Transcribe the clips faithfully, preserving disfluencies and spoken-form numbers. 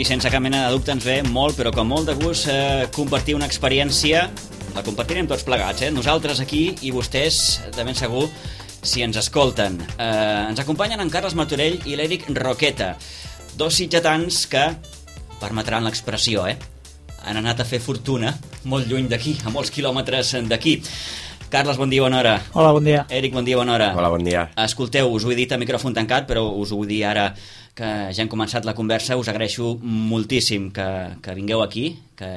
i sense cap mena de dubte ens ve molt, però com molt de gust, eh, compartir una experiència. La compartirem tots plegats, eh? Nosaltres aquí i vostès, de ben segur, si ens escolten. Eh, ens acompanyen en Carles Martorell i l'Eric Roqueta, dos sitgetans que, permetran l'expressió, eh? han anat a fer fortuna molt lluny d'aquí, a molts quilòmetres d'aquí. Carles, bon dia, bona hora. Hola, bon dia. Eric, bon dia, bona hora. Hola, bon dia. Escolteu, us ho he dit a micròfon tancat, però us ho vull dir ara que ja hem començat la conversa. Us agraeixo moltíssim que, que vingueu aquí, que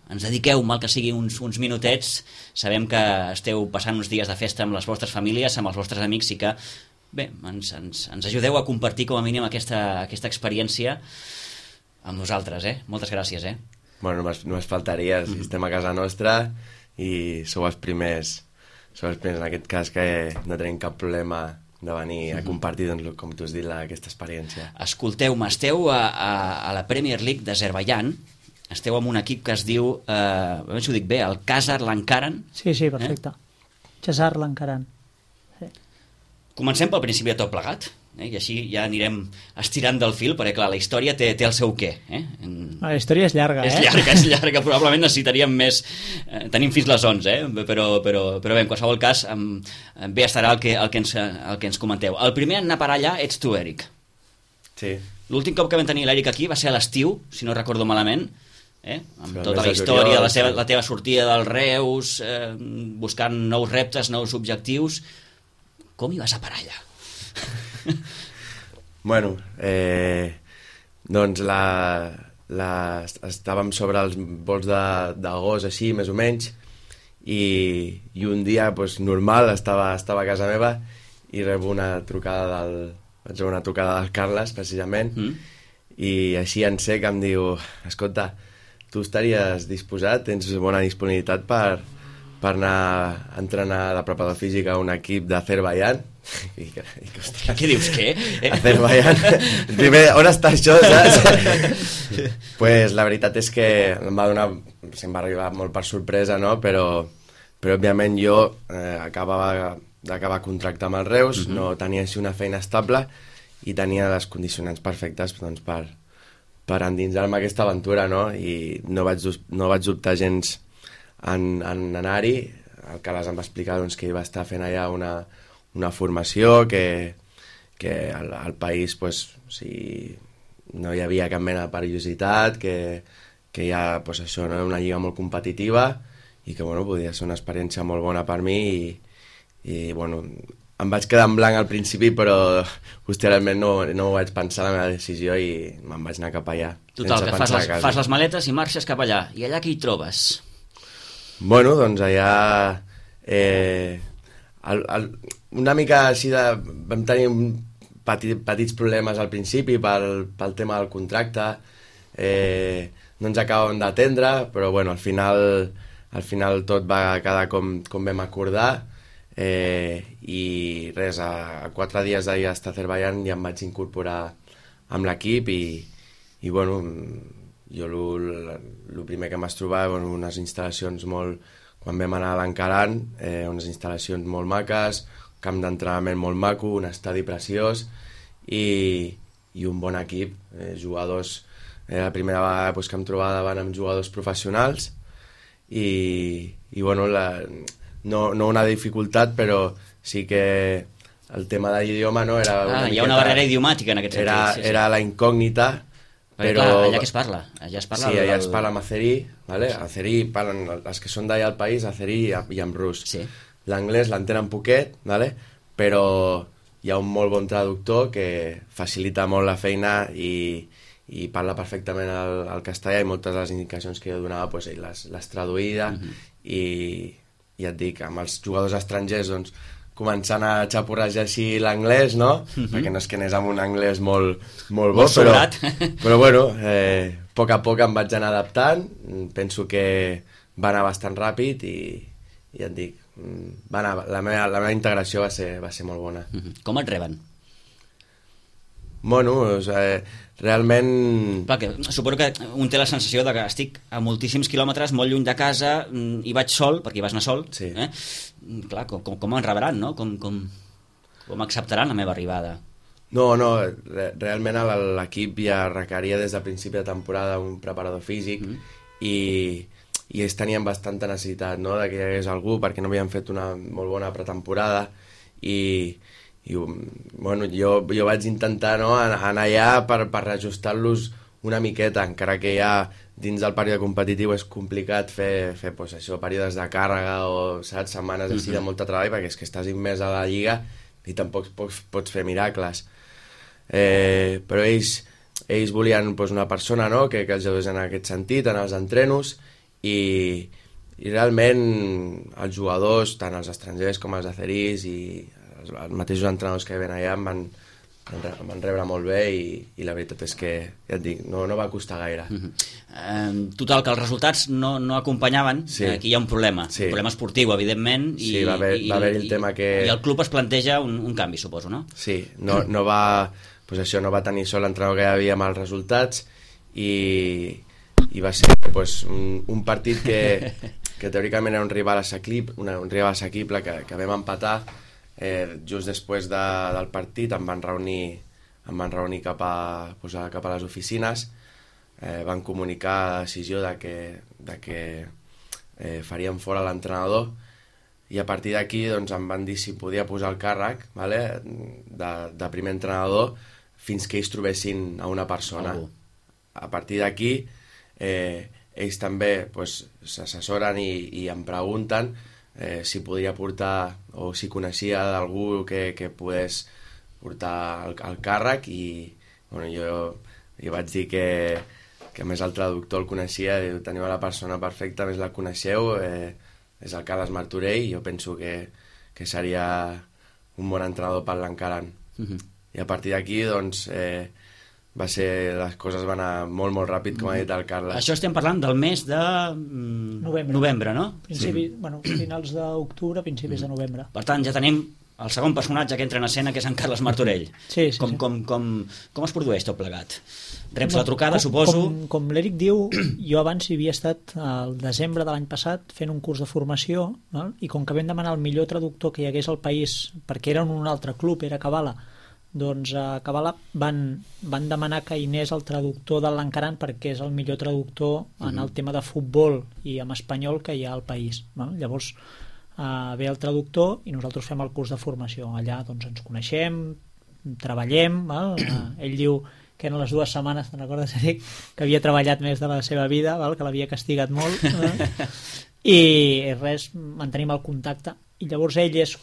ens dediqueu, mal que sigui, uns, uns minutets. Sabem que esteu passant uns dies de festa amb les vostres famílies, amb els vostres amics, i que, bé, ens, ens, ens ajudeu a compartir com a mínim aquesta, aquesta experiència amb nosaltres, eh? Moltes gràcies, eh? Bueno, només, només faltaria, si estem a casa nostra i sou els primers, sou els primers en aquest cas que no tenim cap problema de venir a compartir, doncs, com tu has dit, la, aquesta experiència. Escolteu-me, esteu a, a, a la Premier League d'Azerbaidjan, esteu amb un equip que es diu, eh, a veure si ho dic bé, el Khazar Lankaran. Sí, sí, perfecte. Eh? Khazar Lankaran. Sí. Comencem pel principi de tot plegat, eh? I així ja anirem estirant del fil, perquè clar, la història té, té el seu què. Eh? En... La història és llarga, és eh? És llarga, és llarga, probablement necessitaríem més, eh, tenim fins les onze, eh? però, però, però bé, en qualsevol cas, em, bé estarà el que, el, que ens, el que ens comenteu. El primer en anar a parar allà ets tu, Eric. Sí. L'últim cop que vam tenir l'Eric aquí va ser a l'estiu, si no recordo malament, eh? amb sí, tota la història, de la, seva, la teva sortida del Reus, eh, buscant nous reptes, nous objectius. Com hi vas a parar allà? Bueno, eh, doncs la, la, estàvem sobre els vols d'agost, així, més o menys, i, i un dia pues, normal, estava, estava a casa meva i rebo una trucada del, vaig rebre una trucada del Carles, precisament, mm. i així en sec em diu, escolta, tu estaries disposat, tens bona disponibilitat per, per anar a entrenar de preparador físic a un equip d'Azerbaidjan? I, i, ostres, què dius, què? Azerbaidjan. Primer, on està això, saps? Pues la veritat és que em va donar, se'm va arribar molt per sorpresa, no? Però, però òbviament jo eh, acabava d'acabar contracte amb el Reus, uh-huh. no tenia així una feina estable i tenia les condicionants perfectes, doncs, per, per endinsar-me aquesta aventura, no? I no vaig, no vaig dubtar gens en, en anar-hi. El Carles em va explicar doncs, que hi va estar fent allà una, una formació, que, que al, al país pues, o sigui, no hi havia cap mena de perillositat, que, que hi ha pues, això, no? Una lliga molt competitiva i que bueno, podia ser una experiència molt bona per mi i, i bueno, em vaig quedar en blanc al principi, però posteriorment no, no ho vaig pensar la meva decisió i me'n vaig anar cap allà. Total, que fas les, fas les maletes i marxes cap allà. I allà què hi trobes? Bueno, doncs allà eh, el, el, una mica així de... vam tenir petit, petits problemes al principi pel, pel tema del contracte, eh, no ens acabem d'atendre, però bueno, al final, al final tot va quedar com, com vam acordar, eh, i res, a, a quatre dies d'ahir a Azerbaidjan ja em vaig incorporar amb l'equip i, i bueno, jo el primer que em vaig trobar, bueno, unes instal·lacions molt... Quan vam anar a l'Ankaran, eh, unes instal·lacions molt maques, camp d'entrenament molt maco, un estadi preciós i, i un bon equip, eh, jugadors... Eh, la primera vegada pues, que em trobava davant amb jugadors professionals i, i bueno, la, no, no una dificultat, però sí que el tema de l'idioma no, era... Ah, hi ha una barrera idiomàtica en aquest sentit. Era, sí, sí. Era la incògnita. Però clar, allà què es parla? Allà es parla sí, allà del... es parla amb azerí, ¿vale? Azerí parlen els que són d'allà al país, azerí i, i en rus. Sí. L'anglès l'entenen poquet, ¿vale? Però hi ha un molt bon traductor que facilita molt la feina i, i parla perfectament el, el castellà i moltes de les indicacions que jo donava pues, ell les, les traduïa uh-huh. i, i ja et dic, amb els jugadors estrangers doncs començant a xapurrejar així l'anglès, no? Uh-huh. Perquè no és que anés amb un anglès molt, molt bo, molt però, però bueno, eh, a poc a poc em vaig anar adaptant, penso que va anar bastant ràpid i, i ja et dic, va anar, la, meva, la meva integració va ser, va ser molt bona. Uh-huh. Com et reben? Bueno, o sigui, realment... Clar, que suposo que un té la sensació de que estic a moltíssims quilòmetres, molt lluny de casa, i vaig sol, perquè hi vas anar sol, sí. eh? Clar, com, com, com em rebran, no? Com, com, com acceptaran la meva arribada? No, no, re realment l'equip ja requeria des del principi de temporada un preparador físic mm. i, i ells tenien bastanta necessitat, no?, de que hi hagués algú perquè no havien fet una molt bona pretemporada i, i bueno, jo, jo vaig intentar, no?, anar allà per, per reajustar-los una miqueta, encara que ja dins del període competitiu és complicat fer, fer pues, això, períodes de càrrega o saps, setmanes així de molta treball, perquè és que estàs immers a la lliga i tampoc pots, pots fer miracles. Eh, però ells, ells volien pues, una persona, no?, que, que els ajudés en aquest sentit, en els entrenos, i, i realment els jugadors, tant els estrangers com els acerís i els, els mateixos entrenadors que ven allà em van, em van rebre molt bé i, i la veritat és que, ja et dic, no, no va costar gaire. Uh-huh. eh, total, que els resultats no, no acompanyaven, sí. Aquí hi ha un problema, sí. Un problema esportiu, evidentment, i, sí, va haver, i, va haver el i, tema que... i el club es planteja un, un canvi, suposo, no? Sí, no, no va... Pues això, no va tenir sol l'entrenador que hi havia amb els resultats i, i va ser pues, un, un partit que, que teòricament era un rival assequible, una, un rival assequible que, que vam empatar. Eh, just després de, del partit em van reunir, em van reunir cap, a, pues, a, cap a les oficines, eh, van comunicar la decisió de que, de que eh, farien fora l'entrenador i a partir d'aquí doncs, em van dir si podia posar el càrrec, vale, de, de primer entrenador fins que ells trobessin a una persona. Oh. A partir d'aquí eh, ells també pues, s'assessoren i, i em pregunten eh, si podria portar o si coneixia d'algú que, que pogués portar el, el càrrec i bueno, jo, jo vaig dir que, que a més el traductor el coneixia, diu, teniu la persona perfecta, més la coneixeu, eh, és el Carles Martorell i jo penso que, que seria un bon entrenador per l'Encaran. Mm-hmm. I a partir d'aquí, doncs, eh, va ser, les coses van anar molt, molt ràpid, com ha dit el Carles. Això estem parlant del mes de mm, novembre. novembre, no? Principi, sí. Bueno, finals d'octubre, principis mm. de novembre. Per tant, ja tenim el segon personatge que entra en escena, que és en Carles Martorell. Sí, sí, com, sí. Com, com, com es produeix tot plegat? Reps la trucada, com, suposo... Com, com l'Eric diu, jo abans hi havia estat al desembre de l'any passat fent un curs de formació, no? I com que vam demanar el millor traductor que hi hagués al país, perquè era en un altre club, era Kabala, doncs a Kabala van, van demanar que hi anés el traductor de l'Encaran perquè és el millor traductor en el tema de futbol i en espanyol que hi ha al país, no? Llavors uh, ve el traductor i nosaltres fem el curs de formació. Allà doncs ens coneixem, treballem, val? Uh, ell diu que en les dues setmanes, te'n recordes, Eric, que havia treballat més de la seva vida, val? Que l'havia castigat molt, eh? I res, mantenim el contacte i llavors ell és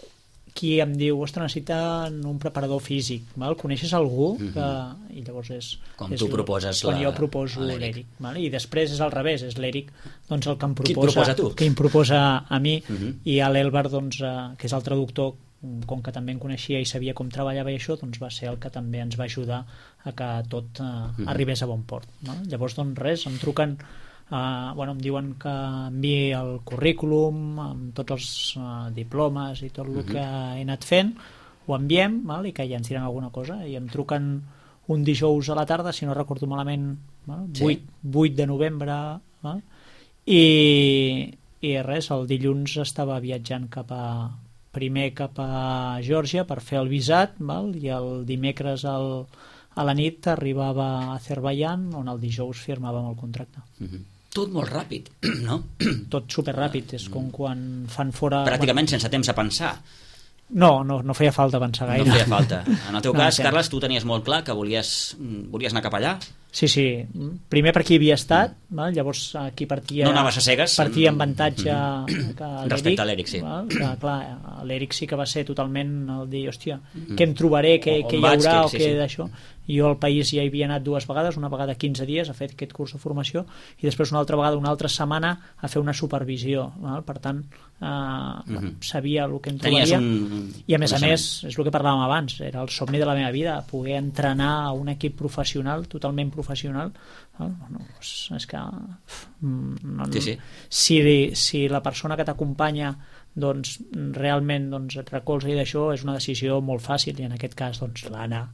qui em diu, ostres, necessiten un preparador físic, val? Coneixes algú? Que... Mm-hmm. I llavors és... Com és tu proposes quan la... jo proposo l'Eric. I després és al revés, és l'Eric doncs, el que em proposa... Qui et proposa tu? Que em proposa a mi, mm-hmm. i a l'Elbar, doncs, eh, que és el traductor, com que també em coneixia i sabia com treballava i això, doncs va ser el que també ens va ajudar a que tot eh, mm-hmm. arribés a bon port. No? Llavors, doncs res, em truquen... Uh, bueno, em diuen que enviï el currículum amb tots els uh, diplomes i tot el uh-huh. que he anat fent, ho enviem, val? I que ja ens diran alguna cosa, i em truquen un dijous a la tarda, si no recordo malament, val? vuit, vuit de novembre, val? I, i res, el dilluns estava viatjant cap a primer cap a Geòrgia per fer el visat, val? I el dimecres el, a la nit arribava a Azerbaiyán, on el dijous firmàvem el contracte. Uh-huh. Tot molt ràpid, no? Tot superràpid, és com quan fan fora... Pràcticament bueno, sense temps a pensar. No, no, no feia falta pensar gaire. No feia falta. En el teu no, cas, sí. Carles, tu tenies molt clar que volies, volies anar cap allà? Sí, sí. Primer per qui havia estat, mm. val? Llavors aquí partia... No anaves a cegues? Partia amb avantatge mm-hmm. que l'Eric... Respecte a l'Eric, sí. Val? Que, clar, l'Eric sí que va ser totalment el dir, hòstia, mm-hmm. què em trobaré, què, o, què hi haurà, que, o sí, què sí. d'això. Jo al país ja hi havia anat dues vegades, una vegada quinze dies a fer aquest curs de formació i després una altra vegada una altra setmana a fer una supervisió, val? Per tant eh, mm-hmm. sabia el que em trobaria un... i a més a més és el que parlàvem abans, era el somni de la meva vida, poder entrenar a un equip professional, totalment professional. No, no, és, és que no, sí, sí. Si, si la persona que t'acompanya doncs realment doncs, et recolza i d'això és una decisió molt fàcil i en aquest cas doncs l'Anna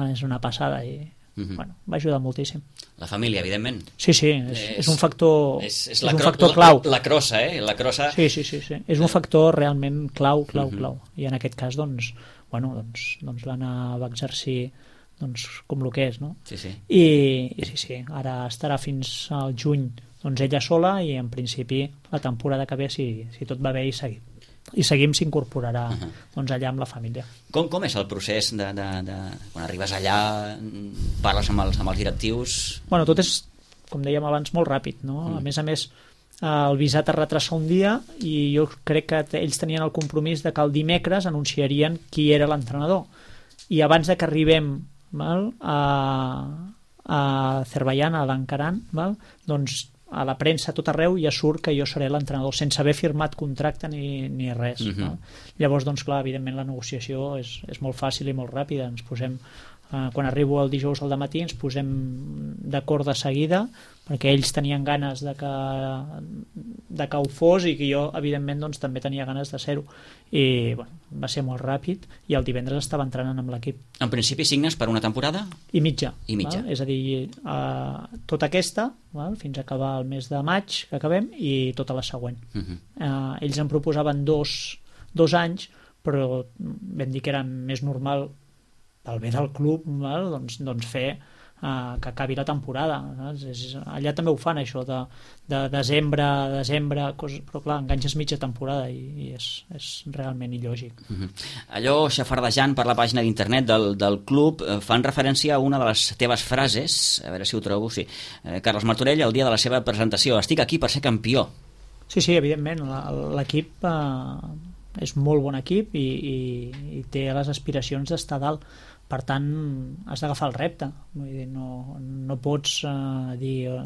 és una passada i mm-hmm. bueno, va ajudar moltíssim. La família, evidentment. Sí, sí, és, és, és un factor és, és, és la un cro factor clau. La, la crossa, eh? La crossa... Sí, sí, sí, sí. És un factor realment clau, clau, mm-hmm. clau. I en aquest cas, doncs, bueno, doncs, doncs l'Anna va exercir doncs, com el que és, no? Sí, sí. I, i sí, sí, ara estarà fins al juny doncs ella sola i en principi la temporada que ve, si, si tot va bé i seguim, i seguim s'incorporarà uh-huh. doncs allà amb la família. Com, com és el procés de, de, de quan arribes allà, parles amb els, amb els directius? Bueno, tot és, com dèiem abans, molt ràpid, no? Mm. A més a més, el visat es retrassa un dia i jo crec que ells tenien el compromís de que el dimecres anunciarien qui era l'entrenador. I abans de que arribem val, a, a Azerbaiyán, a l'Ankaran, val, doncs a la premsa a tot arreu ja surt que jo seré l'entrenador sense haver firmat contracte ni, ni res. Uh-huh. No? Llavors, doncs clar, evidentment la negociació és, és molt fàcil i molt ràpida. Ens posem, eh, quan arribo el dijous al dematí ens posem d'acord de seguida perquè ells tenien ganes de que, de que ho fos i que jo, evidentment, doncs, també tenia ganes de ser-ho. I bueno, va ser molt ràpid i el divendres estava entrenant amb l'equip. En principi signes per una temporada? I mitja. I mitja. Val? És a dir, eh, tota aquesta, val? Fins a acabar el mes de maig, que acabem, i tota la següent. Uh-huh. eh, ells em proposaven dos, dos anys, però vam dir que era més normal, pel bé del club, val? Doncs, doncs fer Uh, que acabi la temporada. És, és, allà també ho fan, això de, de desembre a desembre, coses, però clar, enganxes mitja temporada i, i és, és realment il·lògic. Uh-huh. Allò, xafardejant per la pàgina d'internet del, del club, eh, fan referència a una de les teves frases, a veure si ho trobo, sí. Eh, Carles Martorell, el dia de la seva presentació: estic aquí per ser campió. Sí, sí, evidentment, l'equip eh, és molt bon equip i, i, i té les aspiracions d'estar dalt. Per tant, has d'agafar el repte. Vull dir, no, no pots uh, dir uh,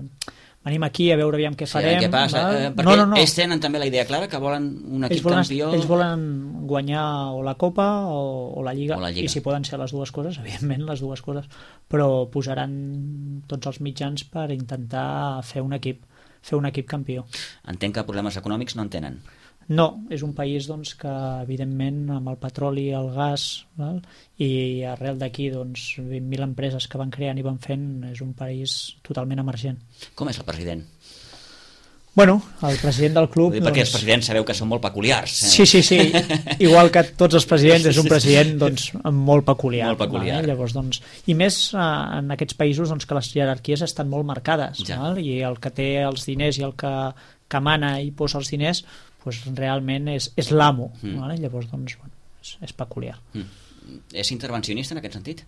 venim aquí a veure aviam què farem. Sí, què passa? Eh, perquè no, no, no. Ells tenen també la idea clara que volen un equip ells volen, campió. Ells volen guanyar o la Copa o, o, la Lliga, o la Lliga, i si poden ser les dues coses, evidentment les dues coses, però posaran tots els mitjans per intentar fer un equip, fer un equip campió. Entenc que problemes econòmics no en tenen. No, és un país doncs, que evidentment amb el petroli i el gas, val? I arrel d'aquí doncs, vint mil empreses que van creant i van fent, és un país totalment emergent. Com és el president? Bueno, el president del club... Perquè doncs... els presidents sabeu que són molt peculiars. Eh? Sí, sí, sí. Igual que tots els presidents, és un president doncs, molt peculiar. Molt peculiar. Val? Llavors, doncs... I més eh, en aquests països doncs, que les jerarquies estan molt marcades. Ja. Val? I el que té els diners i el que, que mana i posa els diners pues, realment és, és l'amo. Mm. Vale? Llavors, doncs, bueno, és, és peculiar. Mm. És intervencionista en aquest sentit?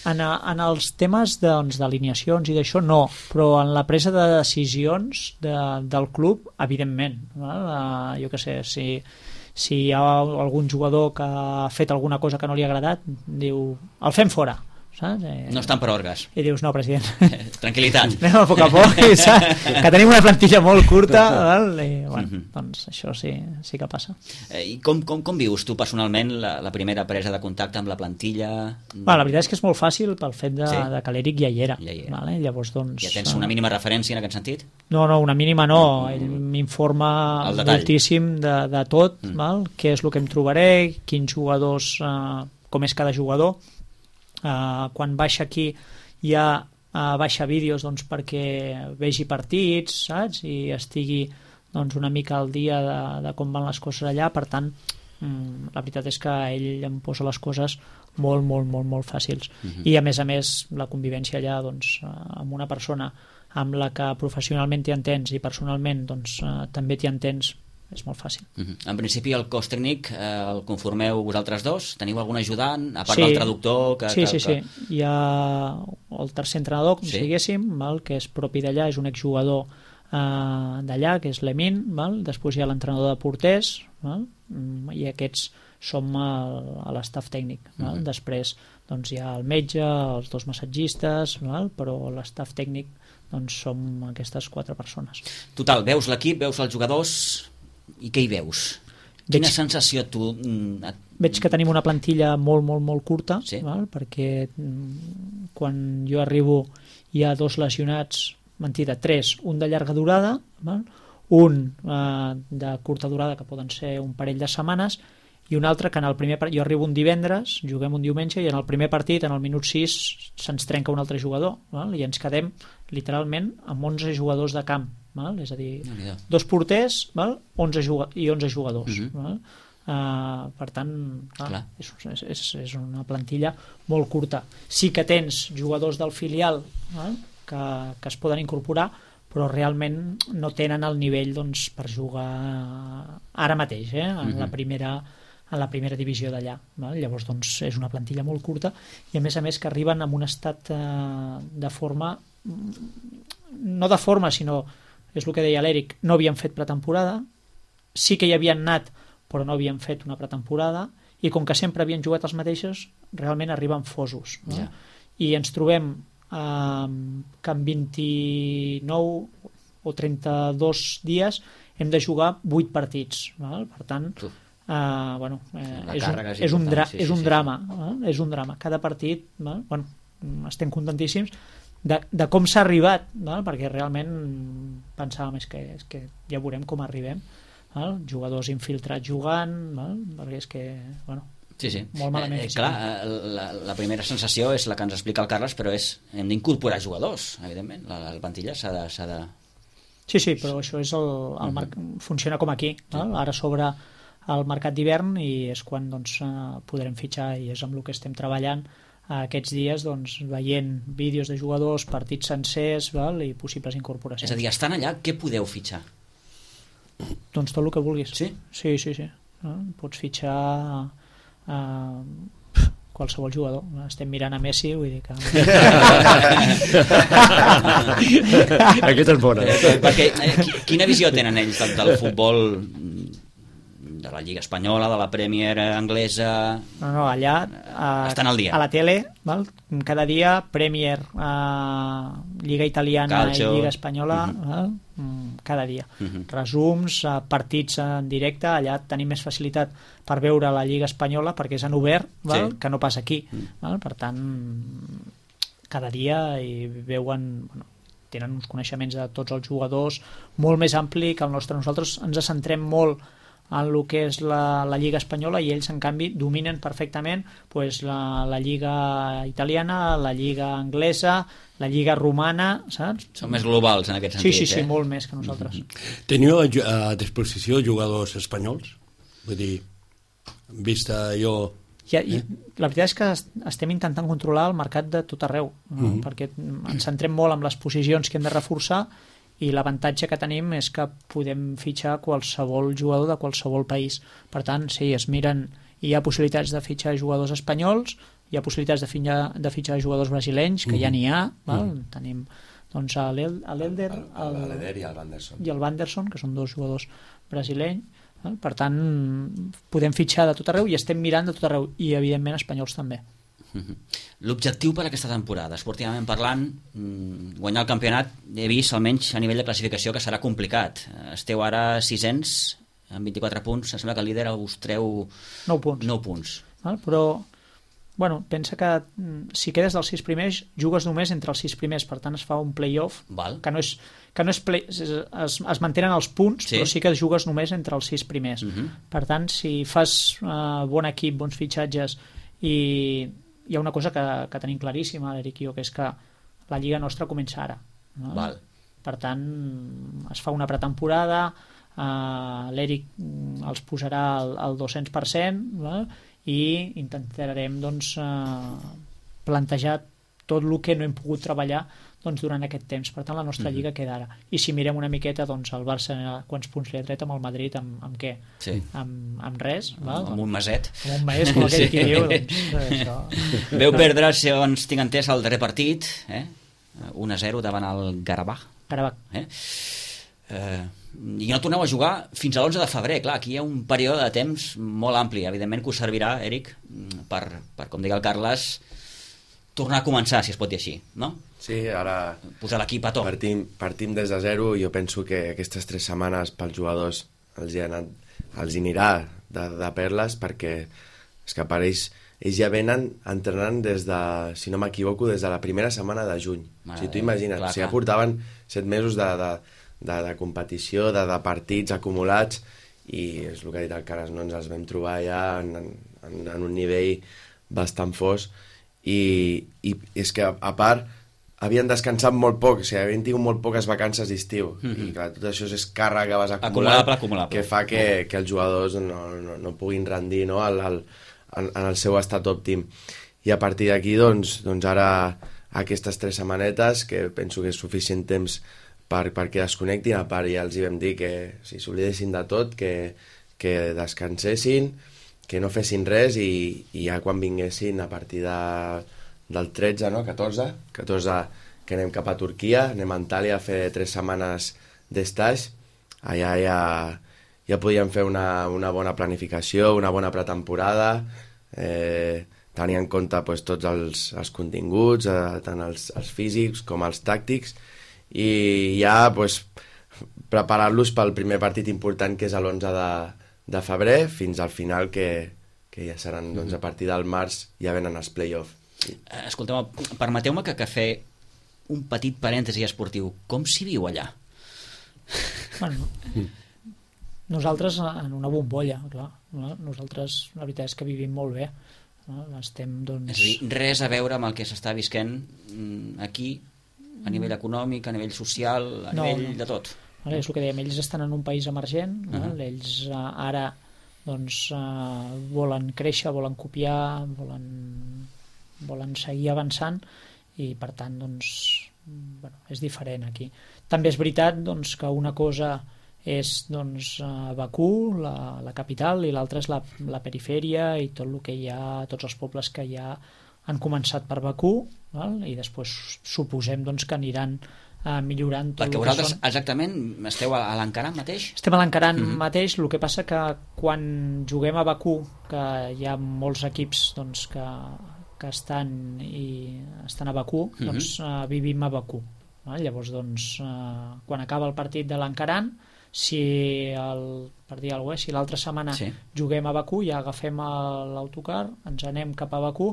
En, a, en els temes d'alineacions doncs, i d'això no, però en la presa de decisions de, del club, evidentment. Val? Uh, jo què sé, si, si hi ha algun jugador que ha fet alguna cosa que no li ha agradat, diu, el fem fora. Saps? Eh, no estan per orgues. I dius, no, president. Tranquil·litat. Anem a poc a poc, saps? Que tenim una plantilla molt curta, val? I, bueno, uh-huh. doncs això sí, sí que passa. Eh, I com, com, com vius tu personalment la, la primera presa de contacte amb la plantilla? Va, la veritat és que és molt fàcil pel fet de, sí? de que l'Eric ja hi era. Ja, hi era. Vale? Llavors, doncs, ja tens una mínima referència en aquest sentit? No, no, una mínima no. Ell m'informa moltíssim de, de tot, mm. val? Què és el que em trobaré, quins jugadors, eh, com és cada jugador. Uh, quan baixa aquí ja uh, baixa vídeos doncs, perquè vegi partits, saps? I estigui doncs, una mica al dia de, de com van les coses allà. Per tant, um, la veritat és que ell em posa les coses molt, molt, molt, molt fàcils. Uh-huh. I a més a més la convivència allà doncs, uh, amb una persona amb la que professionalment t'hi entens i personalment doncs, uh, també t'hi entens, és molt fàcil. Uh-huh. En principi el cos tècnic eh, el conformeu vosaltres dos? Teniu algun ajudant, a part sí. del traductor? Que, sí, que, sí, que... sí. Hi ha el tercer entrenador, com sí? si diguéssim, val? Que és propi d'allà, és un exjugador eh, d'allà, que és l'Emin, val? Després hi ha l'entrenador de porters, val? I aquests som el, a l'estaf tècnic. Val? Uh-huh. Després doncs, hi ha el metge, els dos massatgistes, val? Però l'estaf tècnic doncs, som aquestes quatre persones. Total, veus l'equip, veus els jugadors... I què hi veus? Quina veig, sensació tu... Et... Veig que tenim una plantilla molt, molt, molt curta, sí? val? Perquè quan jo arribo hi ha dos lesionats, mentida, tres, un de llarga durada, val? Un eh, de curta durada, que poden ser un parell de setmanes, i un altre que en el primer partit, jo arribo un divendres, juguem un diumenge, i en el primer partit, en el minut sis, se'ns trenca un altre jugador, val? I ens quedem literalment amb onze jugadors de camp. Val? És a dir, no, dos porters, val? onze i onze jugadors. Uh-huh. Val? Uh, per tant, clar, Clar. és, és, és una plantilla molt curta. Sí que tens jugadors del filial eh, que, que es poden incorporar, però realment no tenen el nivell doncs, per jugar ara mateix eh, en, uh-huh. la primera, en la primera divisió d'allà. Llavors doncs, és una plantilla molt curta i a més a més que arriben en un estat eh, de forma, no de forma sinó, és el que deia l'Eric, no havien fet pretemporada, sí que hi havien anat però no havien fet una pretemporada i com que sempre havien jugat els mateixos realment arriben fosos no? Ja. I ens trobem eh, que en vint-i-nou o trenta-dos dies hem de jugar vuit partits val? Per tant eh, bueno, eh, és, un, és, és, un dra sí, sí, és un sí, drama sí. Eh? És un drama, cada partit val? Bueno, estem contentíssims de, de com s'ha arribat val? Perquè realment pensàvem és que, és que ja veurem com arribem. Val? Jugadors infiltrats jugant val? Perquè és que bueno, sí, sí. molt malament eh, eh, clar, la, la primera sensació és la que ens explica el Carles, però és hem d'incorporar jugadors, evidentment la, la plantilla s'ha de, s'ha de... Sí, sí, però això és el, el mar... funciona com aquí val? Ara s'obre el mercat d'hivern i és quan doncs, podrem fitxar i és amb el que estem treballant aquests dies doncs, veient vídeos de jugadors, partits sencers val? I possibles incorporacions. És a dir, estan allà, què podeu fitxar? Doncs tot el que vulguis. Sí? Sí, sí, sí. No? Pots fitxar uh, qualsevol jugador. Estem mirant a Messi, vull dir que... Aquesta és bona. Perquè, eh, quina visió tenen ells del, del futbol de la Lliga Espanyola, de la Premier anglesa? No, no, allà uh, estan al dia. A la tele, val? Cada dia Premier, uh, Lliga Italiana Calcio. I Lliga Espanyola, uh-huh. val? Cada dia. Uh-huh. Resums, uh, partits en directe, allà tenim més facilitat per veure la Lliga Espanyola perquè és en obert, val? Sí. Que no passa aquí. Uh-huh. Val? Per tant, cada dia hi veuen... Bueno, tenen uns coneixements de tots els jugadors molt més ampli que el nostre. Nosaltres ens centrem molt en el que és la, la Lliga Espanyola i ells en canvi dominen perfectament pues, la, la Lliga Italiana, la Lliga Anglesa, la Lliga Romana, saps? Són més globals en aquest sentit. Sí, sí, sí, eh? molt més que nosaltres. Mm-hmm. Teniu a, a disposició jugadors espanyols? Vull dir, vista jo... Ja, i la veritat és que estem intentant controlar el mercat de tot arreu, no? Mm-hmm. Perquè ens centrem molt en les posicions que hem de reforçar i l'avantatge que tenim és que podem fitxar qualsevol jugador de qualsevol país. Per tant, sí, es miren, hi ha possibilitats de fitxar jugadors espanyols, hi ha possibilitats de fitxar, de fitxar jugadors brasilenys, que mm-hmm. ja n'hi ha, val? Mm-hmm. Tenim doncs, l'Elder l'Elder i el Vanderson. I el Vanderson, que són dos jugadors brasilenys. Val? Per tant, podem fitxar de tot arreu i estem mirant de tot arreu, i evidentment espanyols també. L'objectiu per aquesta temporada, esportivament parlant, guanyar el campionat, he vist almenys a nivell de classificació que serà complicat. Esteu ara sisens amb vint-i-quatre punts, em sembla que el líder us treu nou punts, nou punts. Val? Però bueno, pensa que si quedes dels sis primers jugues només entre els sis primers, per tant es fa un play-off. Val. Que no és, que no és play, es, es, es mantenen els punts, sí. Però sí que jugues només entre els sis primers. Uh-huh. Per tant, si fas uh, bon equip, bons fitxatges, i hi ha una cosa que, que tenim claríssima, l'Eric i jo, que és que la lliga nostra comença ara. No? Val. Per tant, es fa una pretemporada, uh, l'Eric els posarà al, al dos-cents per cent, val? I intentarem doncs, uh, plantejar tot el que no hem pogut treballar doncs, durant aquest temps. Per tant, la nostra mm-hmm. lliga queda ara. I si mirem una miqueta, doncs, el Barça, quants punts li ha tret amb el Madrid, amb, amb què? Sí. Amb, amb res. Val? Amb un maset. Amb un maset, com aquell sí. que diu. Doncs, això. Veu perdre, segons tinc entès, el darrer partit, eh? un a zero davant el Garabach. Garabach. Eh? Eh, I no torneu a jugar fins a l'onze de febrer. Clar, aquí hi ha un període de temps molt ampli. Evidentment que us servirà, Eric, per, per com diga el Carles, tornar a començar, si es pot dir així, no? Sí, ara... Posar l'equip a to. Partim, partim des de zero i jo penso que aquestes tres setmanes pels jugadors els hi, ha anat, els hi anirà de, de perles perquè és que per ells, ells ja venen entrenant des de, si no m'equivoco, des de la primera setmana de juny. Mare si tu imagina't, clar, si ja portaven set mesos de, de, de, de competició, de, de partits acumulats i és el que ha dit el Caras, no ens els vam trobar ja en, en, en un nivell bastant fos i, i és que a part havien descansat molt poc, o sigui, havien tingut molt poques vacances d'estiu, mm-hmm. i clar, tot això és càrrega que vas acumulant, acumulable, acumulable. que fa que, que els jugadors no, no, no puguin rendir, no? al, al, en, en el seu estat òptim. I a partir d'aquí, doncs, doncs ara aquestes tres setmanetes, que penso que és suficient temps per, perquè desconnectin, a part ja els hi vam dir que si s'oblidessin de tot, que, que descansessin, que no fessin res, i, i ja quan vinguessin a partir de del tretze, no? catorze, catorze que anem cap a Turquia, anem a Antàlia a fer tres setmanes d'estaix, allà ja, ja podíem fer una, una bona planificació, una bona pretemporada, eh, tenir en compte pues, tots els, els continguts, eh, tant els, els físics com els tàctics, i ja pues, preparar-los pel primer partit important, que és l'onze de, de febrer, fins al final, que, que ja seran, doncs, a partir del març ja venen els play-off. Escolteu, permeteu-me que, que fer un petit parèntesi esportiu. Com s'hi viu allà? Bueno, nosaltres en una bombolla, clar. Nosaltres, la veritat és que vivim molt bé. Estem, doncs... És a dir, res a veure amb el que s'està visquent aquí, a nivell econòmic, a nivell social, a no, nivell no. de tot. Vale, és el que dèiem, ells estan en un país emergent, uh -huh. ells uh, ara doncs, uh, volen créixer, volen copiar, volen... volen seguir avançant, i per tant doncs, bueno, és diferent aquí. També és veritat doncs, que una cosa és doncs, Bakú, la, la capital, i l'altra és la, la perifèria i tot el que hi ha, tots els pobles que ja han començat per Bakú, val? I després suposem doncs, que aniran eh, millorant tot. Perquè vosaltres són... exactament esteu a, a l'Ankaran mateix? Estem a l'Ankaran mm-hmm. mateix, el que passa que quan juguem a Bakú, que hi ha molts equips doncs, que que estan i estan a Bakú, mm-hmm. doncs uh, vivim a Bakú. Uh, llavors, doncs, uh, quan acaba el partit de l'Ankaran, si el, per dir alguna cosa, si l'altra setmana sí. juguem a Bakú, ja agafem l'autocar, ens anem cap a Bakú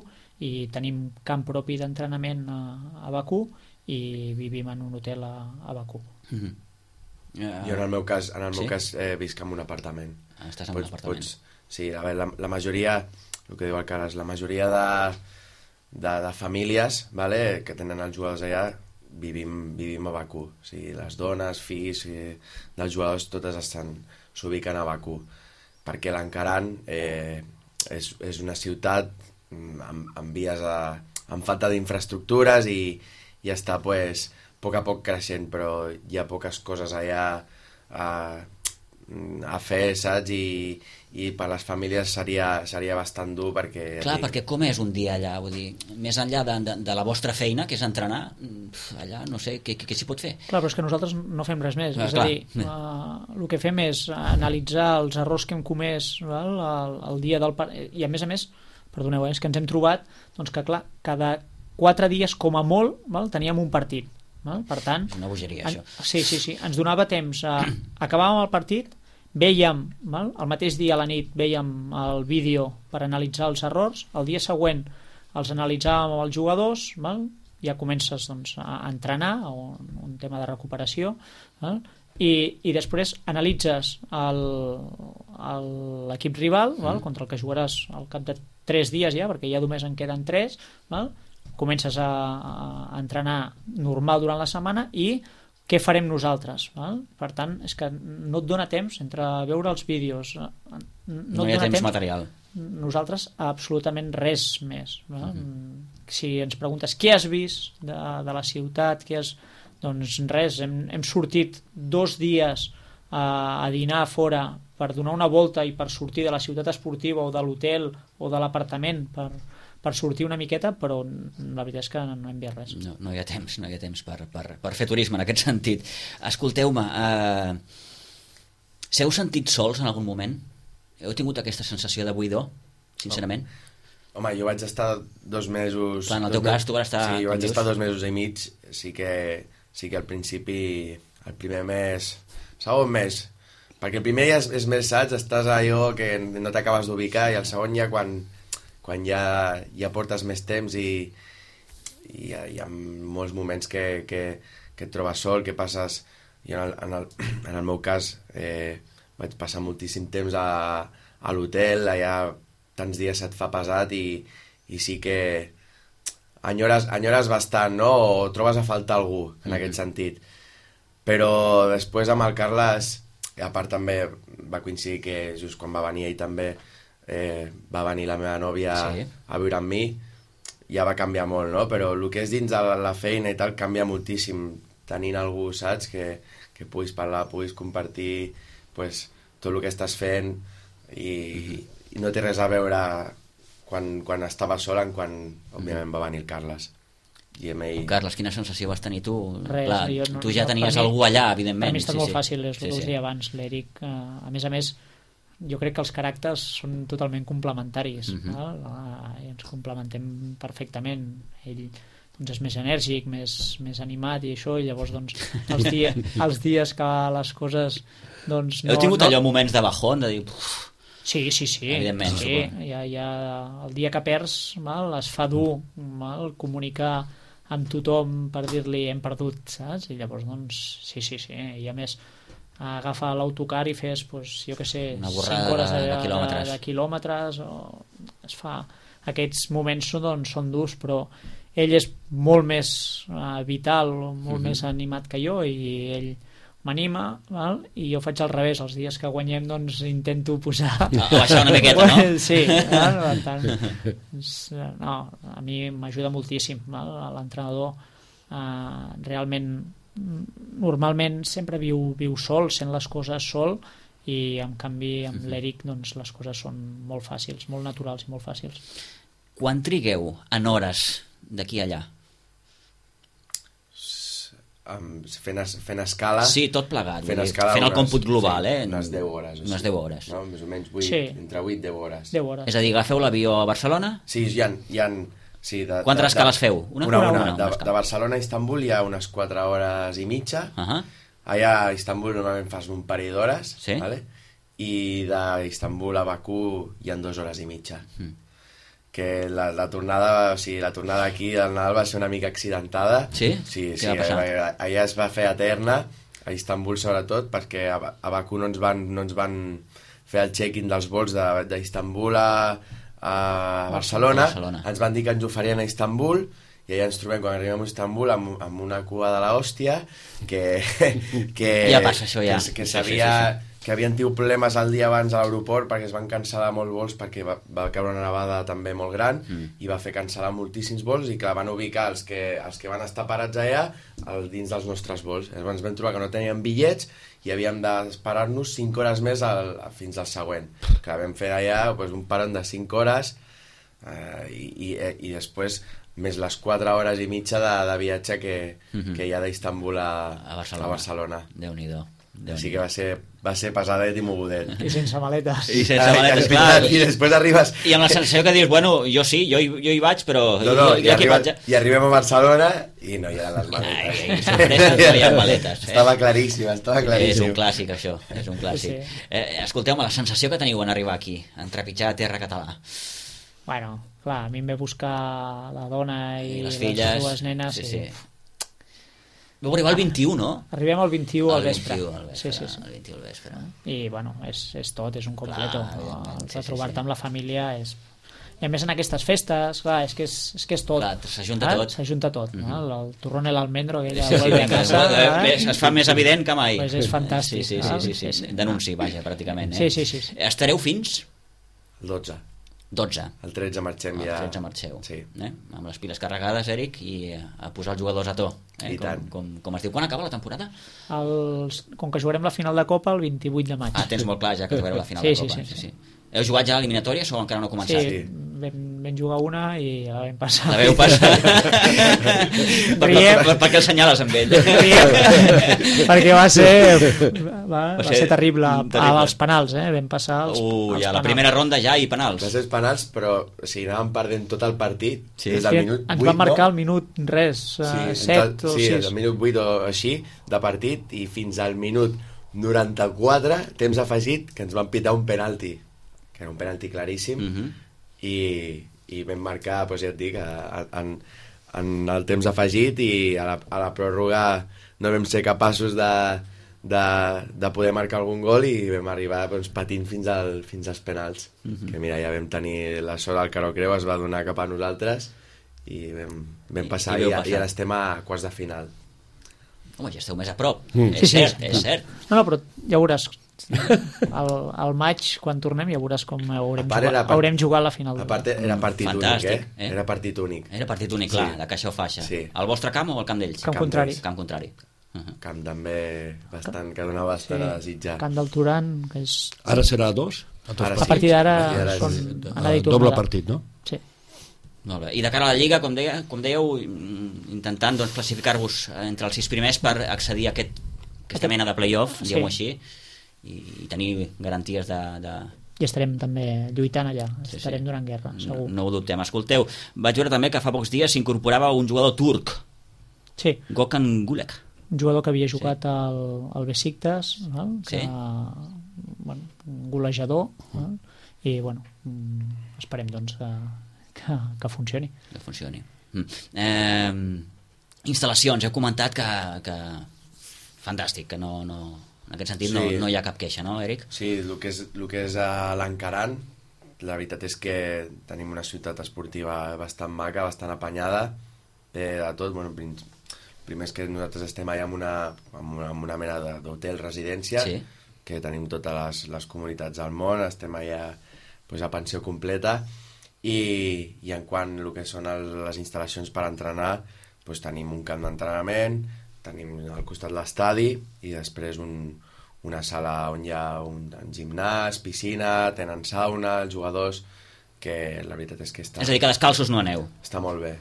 i tenim camp propi d'entrenament a, a Bakú i vivim en un hotel a, a Bakú. Mm-hmm. Uh, jo en el meu cas, en el sí? meu cas eh, visc en un apartament. Ah, estàs en pots, un apartament. Pots, sí, a veure, la, la majoria, el que diu el Carles, la majoria de De, de famílies, vale, que tenen els jugadors allà, vivim, vivim a Bakú. O sigui, les dones, fills eh, dels jugadors, totes estan s'ubiquen a Bakú, perquè l'Ankaran eh, és, és una ciutat amb, amb vies a, amb falta d'infraestructures i, i està pues, a poc a poc creixent, però hi ha poques coses allà a, a fer, saps? I, i per les famílies seria, seria bastant dur, perquè... Clar, dic... perquè com és un dia allà? Vull dir, més enllà de, de, de la vostra feina, que és entrenar, allà no sé, què, què s'hi pot fer? Clar, però és que nosaltres no fem res més. Ah, és clar. a dir, uh, el que fem és analitzar els errors que hem comès val, el, el dia del partit, i a més a més, perdoneu, eh, és que ens hem trobat doncs que, clar, cada quatre dies, com a molt, val, teníem un partit. Val? Per tant... És una bogeria, en, això. Sí, sí, sí. Ens donava temps. A, acabàvem el partit, vèiem, val? El mateix dia a la nit vèiem el vídeo per analitzar els errors, el dia següent els analitzàvem amb els jugadors, val? Ja comences doncs, a entrenar, o un tema de recuperació, val? I, i després analitzes l'equip rival, val? Mm. contra el que jugaràs al cap de tres dies ja, perquè ja només en queden tres, val? Comences a, a entrenar normal durant la setmana i què farem nosaltres, val? Per tant, és que no et dona temps entre veure els vídeos, no, no hi ha temps, temps material, nosaltres absolutament res més, val? Mm-hmm. Si ens preguntes què has vist de, de la ciutat, què has... doncs res, hem, hem sortit dos dies a, a dinar a fora per donar una volta i per sortir de la ciutat esportiva o de l'hotel o de l'apartament per, per sortir una miqueta, però la veritat és que no hem vist res. No, no hi ha temps, no hi ha temps per, per, per fer turisme en aquest sentit. Escolteu-me, eh, s'heu sentit sols en algun moment? Heu tingut aquesta sensació de buidor, sincerament? Oh. Home, jo vaig estar dos mesos... Clar, en el teu cas tu vas estar... Sí, jo vaig estar dos mesos i mig, sí que, sí que al principi, el primer mes, segon mes, perquè el primer ja és, és més, saps, estàs allò que no t'acabes d'ubicar, i el segon ja quan, quan ja, ja portes més temps i, i hi, ha, hi ha molts moments que, que, que et trobes sol, que passes... I en el, en el, en el meu cas eh, vaig passar moltíssim temps a, a l'hotel, allà tants dies se't fa pesat i, i sí que enyores, enyores bastant, no? O trobes a faltar algú, en mm-hmm. aquest sentit. Però després amb el Carles, a part també va coincidir que just quan va venir ell també eh, va venir la meva nòvia sí. a viure amb mi, ja va canviar molt, no? Però el que és dins de la feina i tal canvia moltíssim, tenint algú, saps? Que, que puguis parlar, puguis compartir pues, tot el que estàs fent i, mm-hmm. i no té res a veure quan, quan estava sol en quan, òbviament, va venir el Carles. I amb ell... Carles, quina sensació vas tenir tu? Res, Clar, no, tu ja no, tenies mi, algú allà, evidentment. Per mi està sí, molt sí. fàcil, és el sí, que us sí. deia abans, l'Eric. Eh, a més a més, jo crec que els caràcters són totalment complementaris. Uh-huh. No? I ens complementem perfectament. Ell doncs, és més enèrgic, més, més animat i això, i llavors doncs, els, dia, els dies que les coses... Doncs, no, Heu tingut no... allò moments de bajón, de dir... Sí, sí, sí. Evidentment. Sí, ja, ja, el dia que perds mal, es fa dur mal, comunicar amb tothom per dir-li hem perdut, saps? I llavors, doncs, sí, sí, sí. I a més, agafa l'autocar i fes, doncs, jo què sé, cinc hores de, de, de, quilòmetres. de, de quilòmetres, o es fa... Aquests moments doncs, són durs, però ell és molt més uh, vital, molt mm-hmm. més animat que jo, i ell m'anima, val? I jo faig al revés, els dies que guanyem doncs intento posar... A baixar una miqueta, no? Sí, val? Per tant, no, a mi m'ajuda moltíssim, val? L'entrenador eh, realment normalment sempre viu, viu sol, sent les coses sol, i en canvi amb l'Eric doncs, les coses són molt fàcils, molt naturals i molt fàcils. Quan trigueu en hores d'aquí a allà? Um, fent, es, fent escala... Sí, tot plegat. Fent, escala fent el unes, còmput global, sí, eh? Unes deu hores. Unes deu hores. No? Més o menys vuit, sí. entre vuit i deu hores. deu hores. És a dir, agafeu l'avió a Barcelona? Sí, hi ha... Hi ha sí, de, Quantes de, escales de, feu? Una? Una, una. una, una. una de, de Barcelona a Istanbul hi ha unes quatre hores i mitja. Uh -huh. Allà a Istanbul normalment fas un parell d'hores. Sí? Vale? I d'Istanbul a Bakú hi ha dues hores i mitja. Mm. Que la, la tornada, o sigui, la tornada aquí del Nadal va ser una mica accidentada. Sí? Sí, Què sí, va passar? allà, allà es va fer eterna, a Istanbul sobretot, perquè a, a Bakú no ens van, no ens van fer el check-in dels vols d'Istanbul a, a Barcelona. Barcelona. Ens van dir que ens ho farien a Istanbul, i allà ens trobem, quan arribem a Istanbul, amb, amb una cua de l'hòstia, que, que, ja passa això, ja. que, que sabia... Sí, sí, sí. que havien tingut problemes el dia abans a l'aeroport perquè es van cancel·lar molts vols perquè va, va caure una nevada també molt gran mm. i va fer cancel·lar moltíssims vols i que van ubicar els que, els que van estar parats allà al, dins dels nostres vols. Llavors ens vam trobar que no teníem bitllets i havíem d'esperar-nos cinc hores més al, fins al següent. Que vam fer allà pues, un parón de cinc hores eh, i, i, i després més les quatre hores i mitja de, de viatge que, mm-hmm. que hi ha d'Istanbul a, a Barcelona. A Barcelona. Déu-n'hi-do. Així que va ser, va ser pesadet i mogudet. I sense maletes. I sense maletes, clar. I després arribes... I amb la sensació que dius, bueno, jo sí, jo, jo hi vaig, però... No, no, jo, i, jo arriba, vaig... i arribem a Barcelona i no hi ha les maletes. Ai, sorpresa, no hi ha maletes. Eh? Estava claríssim, estava claríssim. És un clàssic, això, és un clàssic. Sí. Eh, escolteu-me, la sensació que teniu en arribar aquí, en trepitjar a terra català. Bueno, clar, a mi em ve buscar la dona i, I les les filles, dues nenes. sí, i... sí. Vau arribar el vint-i-u, no? Arribem al vint-i-u al vespre. El vint-i-u al vespre, sí, sí, sí. el vint-i-u al vespre. I, bueno, és, és tot, és un completo. Clar, el sí, retrobar-te sí, sí. amb la família és... I a més en aquestes festes, clar, és que és, és, que és tot. Clar, s'ajunta tot. S'ajunta tot, mm-hmm. no? El, el turrón i l'almendro, aquella sí, vuelve a casa... Sí, eh? Es fa més evident que mai. Pues és fantàstic. Sí, sí, sí, sí, sí. Denunci, vaja, pràcticament. Eh? Sí, sí, sí, sí. Estareu fins? El dotze. dotze. El tretze marxem el ja. El tretze marxeu. Sí. Eh? Amb les piles carregades, Eric, i a posar els jugadors a to. Eh? I com, tant. Com, com es diu. Quan acaba la temporada? Els... Com que jugarem la final de Copa el vint-i-vuit de maig. Ah, tens molt clar ja que jugareu la final sí, de Copa. Sí, sí, sí. sí, sí. Heu jugat ja a l'eliminatòria o encara no ha començat? Sí, vam, vam jugar una i la vam passar. La veu passar. per, per, per, per què el senyales amb ell? Perquè va ser va, va, va ser, ser terrible. terrible. Als penals, eh? Vam passar als, uh, als ja, penals. La primera ronda ja i penals. Va ser penals, però o sigui, anàvem perdent tot el partit. Sí. Des del sí, minut ens vuit, van marcar no? al minut res, uh, sí, set tot, o sí, sis. Sí, del minut vuit o així de partit i fins al minut noranta-quatre, temps afegit, que ens van pitar un penalti, que era un penalti claríssim, uh-huh. i, i vam marcar, doncs ja et dic, en, en el temps afegit, i a la, a la pròrroga no vam ser capaços de, de, de poder marcar algun gol i vam arribar doncs, patint fins, al, fins als penals. Uh-huh. Que mira, ja vam tenir la sort, el Caro Creu es va donar cap a nosaltres i vam, vam passar I, i, i, i ara estem a quarts de final. Home, ja esteu més a prop. Mm. És Sí, cert, sí. és cert. No, no, però ja veuràs, al, al maig, quan tornem, ja veuràs com haurem, A part jugat, era part- haurem jugat la final. A part era partit Fantàstic, únic, eh? eh? Era partit únic. Era partit únic, clar, Sí. de caixa o faixa. Sí. Al vostre camp o al camp d'ells? Camp Camp contrari. d'ells. Camp contrari. Uh -huh. Camp també bastant, que donava bastant a desitjar. Camp del Turan, que és... Ara serà dos? A, dos Ara A sí. partir d'ara A partir d'ara són sí. anada i Ah, doble tornada. partit, no? Sí. Molt bé. I de cara a la Lliga, com, deia, com dèieu, mm, intentant doncs, classificar-vos entre els sis primers per accedir a aquest, aquesta mena de play-off, diguem-ho així, i, i tenir garanties de... de... I estarem també lluitant allà, Sí, estarem sí. donant guerra, segur. No, no ho dubtem. Escolteu, vaig veure també que fa pocs dies s'incorporava un jugador turc, Sí, Gökhan Gülek. un jugador que havia jugat al, al Besiktas, val? Que, Sí. bueno, un golejador, val? I bueno, mm, esperem doncs que, que, que funcioni. Que funcioni. Mm. Eh, instal·lacions, heu comentat que, que fantàstic, que no, no, en aquest sentit Sí. no, no hi ha cap queixa, no, Eric? Sí, el que és, el que és a l'Encaran, la veritat és que tenim una ciutat esportiva bastant maca, bastant apanyada, té de tot. Bueno, prim- primer és que nosaltres estem allà en una, en una, en una mena de- d'hotel residència, Sí. que tenim totes les, les comunitats del món, estem allà pues, a pensió completa, i, i en quant el que són el, les instal·lacions per entrenar, pues, tenim un camp d'entrenament, tenim al costat l'estadi i després un, una sala on hi ha un, un gimnàs, piscina, tenen sauna, els jugadors, que la veritat és que està, És a dir, que descalços no aneu. està molt bé.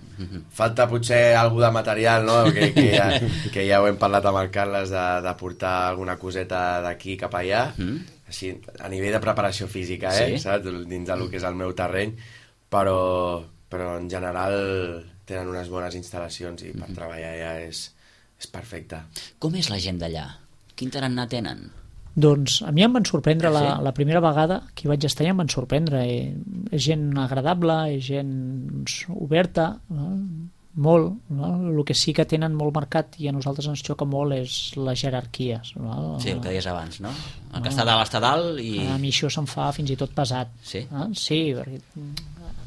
Falta potser algú de material, no? que, que, ja, que ja ho hem parlat amb el Carles de, de portar alguna coseta d'aquí cap allà, Mm. així, a nivell de preparació física, eh? Sí. Saps? Dins del que és el meu terreny, però, però en general tenen unes bones instal·lacions i per treballar ja és, és perfecte. Com és la gent d'allà? Quin tarannà tenen? Doncs a mi em van sorprendre la, Sí? la primera vegada que hi vaig estar i em van sorprendre. Eh, és gent agradable, és gent doncs, oberta, no? Molt. No? El que sí que tenen molt marcat i a nosaltres ens xoca molt és les jerarquies. No? Sí, el que deies abans, no? El que està dalt està dalt i... A mi això se'm fa fins i tot pesat. Sí? Ah, sí, perquè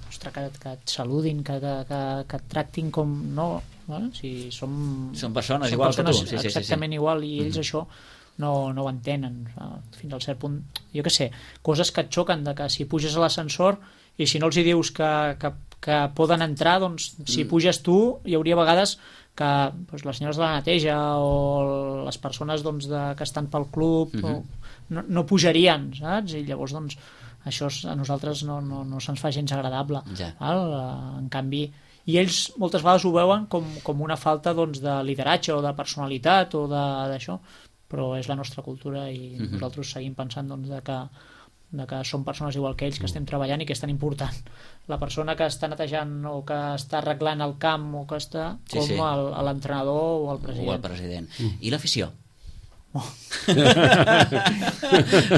ostres, que, que et saludin, que, que, que, que et tractin com... No, no? Si som, Són persones som igual que tu. persones Sí, sí, sí, sí. exactament igual, i ells això no, no ho entenen. Ah, fins al cert punt, jo què sé, coses que et xoquen, de que si puges a l'ascensor i si no els hi dius que, que, que poden entrar, doncs si puges tu hi hauria vegades que doncs, les senyores de la neteja o les persones doncs, de, que estan pel club o, no, no pujarien, saps? I llavors doncs això és- a nosaltres no, no, no se'ns fa gens agradable. Ja. Val? En canvi, i ells moltes vegades ho veuen com, com una falta doncs, de lideratge o de personalitat o de- d'això, però és la nostra cultura i Mhm. nosaltres seguim pensant doncs, de que de que som persones igual que ells, que estem treballant i que és tan important la persona que està netejant o que està arreglant el camp o que està Sí, com sí. el- l'entrenador o el O el president. president. I l'afició? Oh.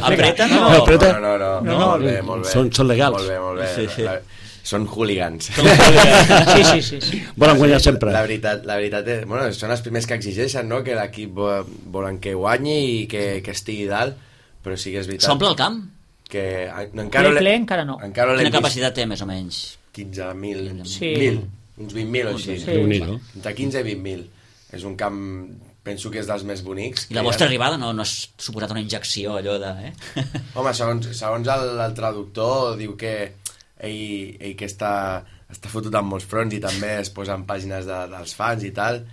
Apreten o... No, apreta. No, no, no, no, No, no, molt bé, molt bé. són- són legals. Molt bé, molt bé. Sí, sí. La, són hooligans. Sí, sí, sí, sí. Volen guanyar sempre. La veritat, la veritat és, bueno, són els primers que exigeixen, no?, que l'equip vo- volen que guanyi i que, que estigui dalt, però sí que és veritat S'omple el camp? que a- no, encara Ple, l'he- ple, encara no. encara l'hem Quina vist capacitat té, més o menys? quinze mil, Sí. mil, uns vint mil o així. Sí. Déu-n'hi-do. Entre quinze i vint mil. És un camp, penso que és dels més bonics. I la que hi ha. vostra arribada no, no ha suposat una injecció, allò de... Eh? Home, segons, segons el, el traductor, diu que ell, ell que està, està fotut en molts fronts i també es posa en pàgines de, dels fans i tal,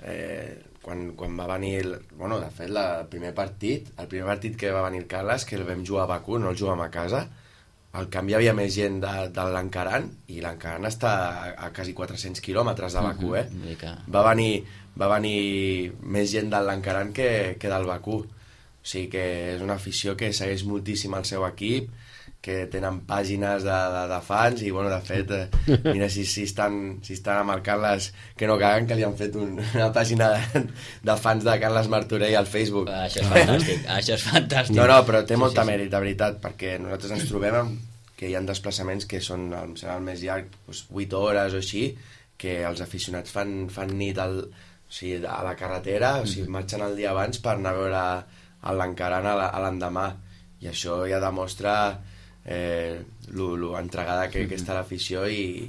eh, quan, quan va venir... El, bueno, de fet, la, el primer partit, el primer partit que va venir el Carles, que el vam jugar a Bakú, no el jugàvem a casa, al camp hi havia més gent de, de l'Encaran, i l'Encaran està a, a quasi quatre-cents quilòmetres de Bakú, eh? Vull dir que... Va venir, va venir més gent de l'Encaran que, que del Bakú. O sigui que és una afició que segueix moltíssim el seu equip, que tenen pàgines de, de, de fans i, bueno, de fet, eh, mira si, si, estan, si estan amb el Carles, que no caguen, que li han fet un, una pàgina de, de fans de Carles Martorell al Facebook. Això és fantàstic, això és fantàstic. No, no, però té Sí, molta sí, sí. mèrit, de veritat, perquè nosaltres ens trobem amb que hi ha desplaçaments que són el, serà el més llarg, doncs, vuit hores o així, que els aficionats fan, fan nit al, o sigui, a la carretera, o sigui, marxen el dia abans per anar a veure l'Encaran a la- a l'endemà. I això ja demostra eh, lo, lo entregada que, que està l'afició i,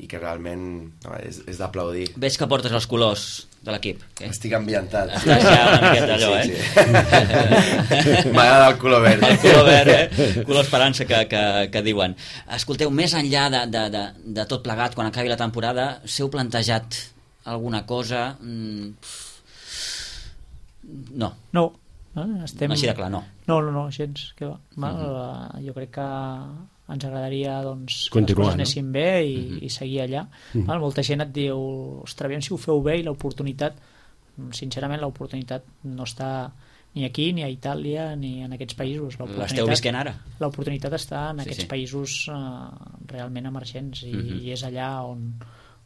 i que realment no, és, és d'aplaudir. Veig que portes els colors de l'equip. Okay? Estic ambientat. Estàs ja una miqueta allò, sí, eh? Sí. M'agrada el color verd. El color verd, eh? Color esperança que, que, que diuen. Escolteu, més enllà de, de, de, de tot plegat, quan acabi la temporada, s'heu plantejat alguna cosa? Mm, no. No. Eh? Estem... Així de clar, no. No, no, no, gens. Que va. Val? Uh-huh. Jo crec que ens agradaria doncs, que continuar, les coses anessin no? bé i, uh-huh. i seguir allà. Uh-huh. Val? Molta gent et diu, ostres, aviam si ho feu bé, i l'oportunitat, sincerament, l'oportunitat no està ni aquí, ni a Itàlia, ni en aquests països. L'esteu visquent ara? L'oportunitat està en sí, aquests sí. països uh, realment emergents i, uh-huh. i és allà on,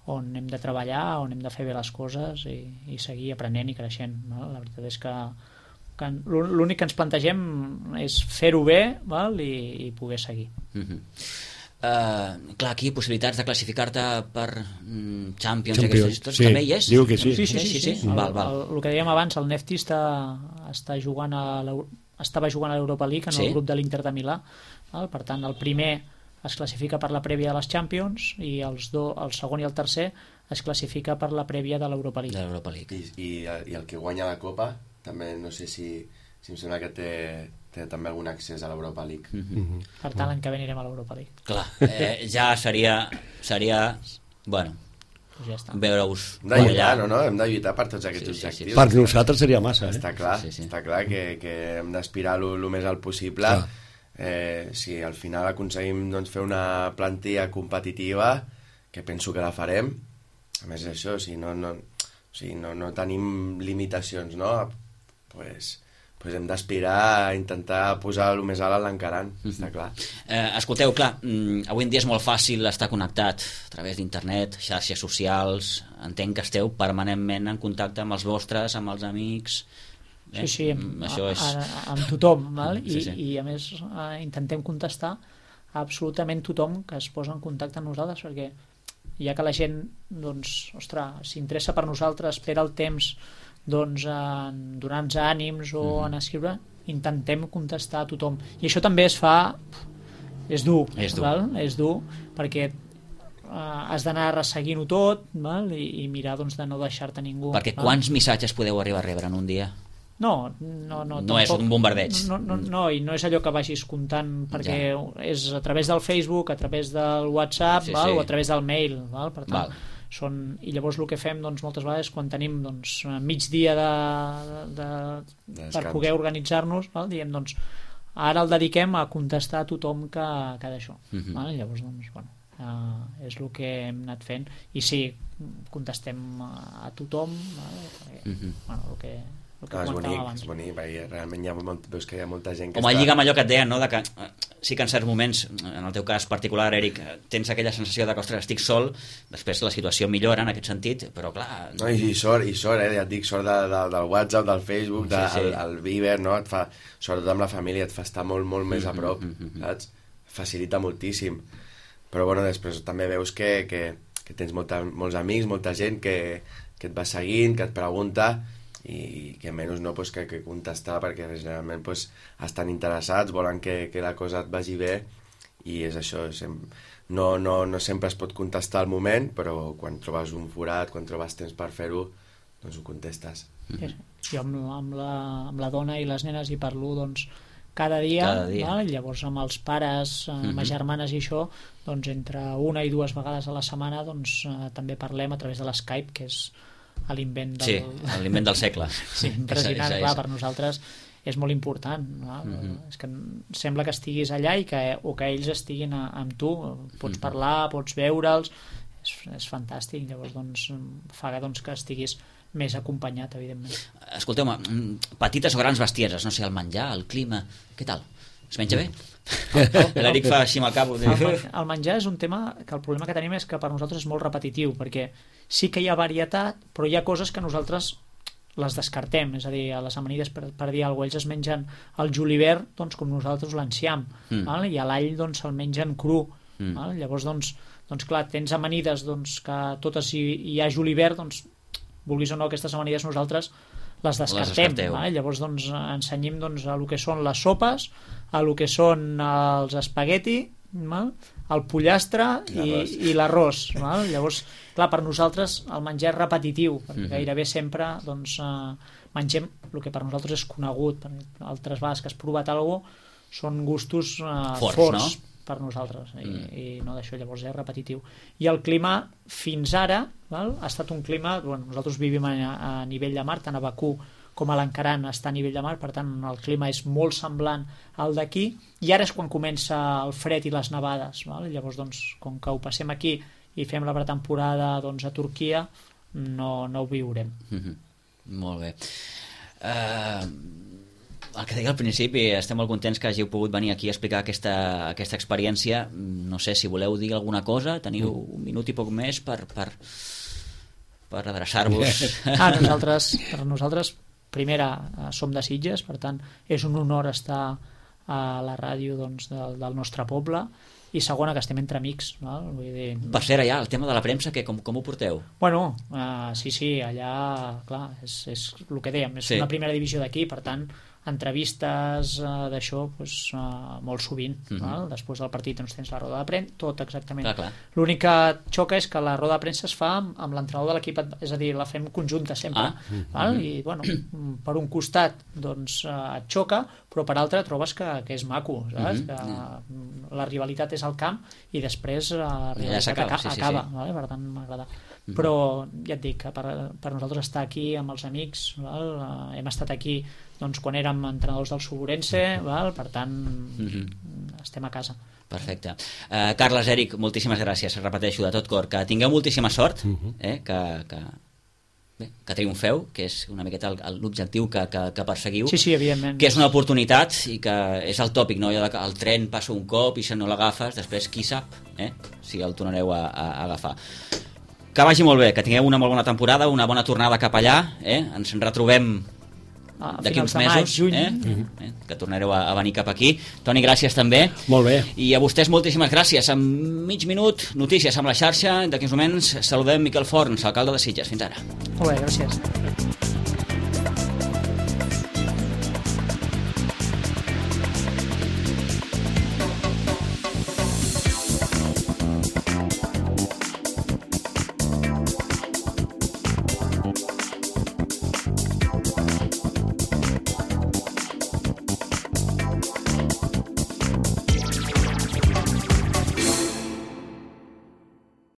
on hem de treballar, on hem de fer bé les coses i, i seguir aprenent i creixent. Val? La veritat és que que l'únic que ens plantegem és fer-ho bé, val? I, i poder seguir. Uh-huh. Uh, clar, aquí possibilitats de classificar-te per mm, Champions, Champions, i aquestes històries, sí. també hi és? Diu que sí. Sí, sí, sí, sí, sí. sí. El, Val, val. El, el que dèiem abans, el Nefti està, està jugant a estava jugant a l'Europa League en sí? el grup de l'Inter de Milà, val? Per tant el primer es classifica per la prèvia de les Champions i els do, el segon i el tercer es classifica per la prèvia de l'Europa League. De l'Europa League. I, i, i el que guanya la Copa també no sé si, si em sembla que té, té també algun accés a l'Europa League. Uh-huh. Per tant, l'any que ve anirem a l'Europa League. Clar, eh, ja seria, seria bueno, Pues ja està. veure-us Hem de lluitar, no, no? Hem de lluitar per tots aquests Sí, sí, sí. objectius. Per nosaltres seria massa, eh? Està clar, Sí, sí. està clar que, que hem d'aspirar el més alt possible. Eh, si al final aconseguim doncs, fer una plantilla competitiva, que penso que la farem, a més això, si no, no, o sigui, no, no tenim limitacions, no? Pues, pues hem d'aspirar a intentar posar el més alt a l'encarant, mm-hmm. està clar. Eh, escolteu, clar, mm, avui en dia és molt fàcil estar connectat a través d'internet, xarxes socials, entenc que esteu permanentment en contacte amb els vostres, amb els amics... Sí, sí, amb, això és... a, a, amb tothom, val? I, sí, sí. i a més eh, intentem contestar a absolutament tothom que es posa en contacte amb nosaltres, perquè ja que la gent doncs, ostres, s'interessa per nosaltres, espera el temps doncs, en donar-nos ànims o mm. en escriure, intentem contestar a tothom. I això també es fa... és dur, és dur, val? És dur perquè eh, has d'anar resseguint-ho tot, val? I, i mirar doncs, de no deixar-te ningú. Perquè val? quants missatges podeu arribar a rebre en un dia? No, no, no, no és un bombardeig. No, no, no, i no és allò que vagis comptant, perquè ja. És a través del Facebook, a través del WhatsApp, sí, val? Sí. O a través del mail, val? Per tant, val. Són, i llavors el que fem doncs, moltes vegades quan tenim doncs, mig dia de, de, de, per poder organitzar-nos, val? Diem, doncs, ara el dediquem a contestar a tothom que, que d'això. Uh-huh. Val? Llavors, doncs, bueno, uh, és el que hem anat fent. I sí, contestem a, a tothom, val? Perquè, uh-huh. bueno, el que... No, és bonic, és bonic, perquè realment hi ha, molt, veus que hi ha molta gent que Home, està... lliga amb allò que et deien, no? De que, sí que en certs moments, en el teu cas particular, Eric, tens aquella sensació de que, ostres, estic sol, després la situació millora en aquest sentit, però clar... No, i, i sort, i sort, eh? Ja et dic, sort de, de, del WhatsApp, del Facebook, de, sí, sí. El, el Viber, no? Et fa, sobretot amb la família, et fa estar molt, molt més a prop, mm-hmm. saps? Facilita moltíssim. Però, bueno, després també veus que, que, que tens molta, molts amics, molta gent que, que et va seguint, que et pregunta... i que menys no pues, que, que contestar perquè generalment pues, estan interessats, volen que, que la cosa et vagi bé i és això, sem no, no, no sempre es pot contestar al moment, però quan trobes un forat, quan trobes temps per fer-ho, doncs ho contestes. Sí, jo amb, amb, la, amb la dona i les nenes hi parlo doncs, cada dia, cada dia. Val? Llavors amb els pares, amb mm-hmm. les germanes i això, doncs entre una i dues vegades a la setmana doncs, eh, també parlem a través de l'Skype, que és a l'invent del... Sí, l'invent del segle. Sí, impressionant, és, és, clar, per nosaltres és molt important, no? Mm-hmm. És que sembla que estiguis allà i que, o que ells estiguin a, amb tu, pots mm-hmm. parlar, pots veure'ls, és, és fantàstic, llavors doncs, fa doncs, que estiguis més acompanyat, evidentment. Escolteu-me, petites o grans bestieses, no sé, el menjar, el clima, què tal? Es menja bé? L'Eric fa així amb el cap. El, el menjar és un tema que el problema que tenim és que per nosaltres és molt repetitiu, perquè sí que hi ha varietat, però hi ha coses que nosaltres les descartem, és a dir, a les amanides, per, per dir alguna cosa, ells es mengen el julivert doncs, com nosaltres l'enciam, mm. i a l'all doncs, se'l mengen cru. Mm. Val? Llavors, doncs, doncs, clar, tens amanides doncs, que totes hi, hi ha julivert, doncs, vulguis o no, aquestes amanides nosaltres les descartem. Les Llavors doncs, ensenyem doncs, a el que són les sopes, a el que són els espagueti, val? El pollastre i, i l'arròs. Val? Llavors, clar, per nosaltres el menjar és repetitiu, perquè mm-hmm. gairebé sempre doncs, eh, mengem el que per nosaltres és conegut. Per altres vegades que has provat alguna cosa són gustos eh, forts, forts no? per nosaltres, i, mm. i no d'això, llavors és repetitiu. I el clima fins ara val? Ha estat un clima, bueno, nosaltres vivim a, a nivell de mar, tant a Bakú com a l'Ancaran està a nivell de mar, per tant el clima és molt semblant al d'aquí, i ara és quan comença el fred i les nevades, val? Llavors doncs, com que ho passem aquí i fem la pretemporada doncs, a Turquia, no, no ho viurem. Mm-hmm. Molt bé. Uh, el que deia al principi, estem molt contents que hàgiu pogut venir aquí a explicar aquesta, aquesta experiència. No sé si voleu dir alguna cosa, teniu un minut i poc més per, per, per adreçar-vos. Ah, nosaltres, per nosaltres, primera, som de Sitges, per tant, és un honor estar a la ràdio doncs, del, del nostre poble, i segona, que estem entre amics. Val? Vull dir... Per cert, allà, el tema de la premsa, que, com, com ho porteu? Bueno, uh, sí, sí, allà, clar, és, és el que dèiem, és sí. una primera divisió d'aquí, per tant, entrevistes uh, d'això pues, uh, molt sovint. Mm-hmm. Val? Després del partit doncs, tens la roda de premsa, tot exactament. Clar, clar. L'únic que xoca és que la roda de premsa es fa amb, amb l'entrenador de l'equip, és a dir, la fem conjunta sempre. Ah. Mm-hmm. Val? I, bueno, per un costat doncs, uh, et xoca, però per altre trobes que, que és maco, saps? Mm-hmm. Que mm. la rivalitat és al camp i després la rivalitat acaba, sí, sí, acaba sí. Vale? Per tant m'agrada. Mm-hmm. Però ja et dic que per, per nosaltres estar aquí amb els amics, val? Uh, hem estat aquí doncs, quan érem entrenadors del Suburense, val? Per tant mm-hmm. estem a casa. Perfecte. Uh, Carles, Eric, moltíssimes gràcies, repeteixo de tot cor, que tingueu moltíssima sort, mm-hmm. eh? que, que, bé, que triomfeu, que és una miqueta l'objectiu que, que, que perseguiu, sí, sí, evidentment. Que és una oportunitat i que és el tòpic, no? El tren passa un cop i si no l'agafes, després qui sap eh? si el tornareu a, a, a agafar. Que vagi molt bé, que tingueu una molt bona temporada, una bona tornada cap allà, eh? Ens en retrobem ah, d'aquí uns mesos, juny. Eh? Mm-hmm. eh? que tornareu a, a venir cap aquí. Toni, gràcies també. Molt bé. I a vostès moltíssimes gràcies. En mig minut, notícies amb la xarxa. D'aquí uns moments saludem Miquel Forns, alcalde de Sitges. Fins ara. Molt bé, gràcies.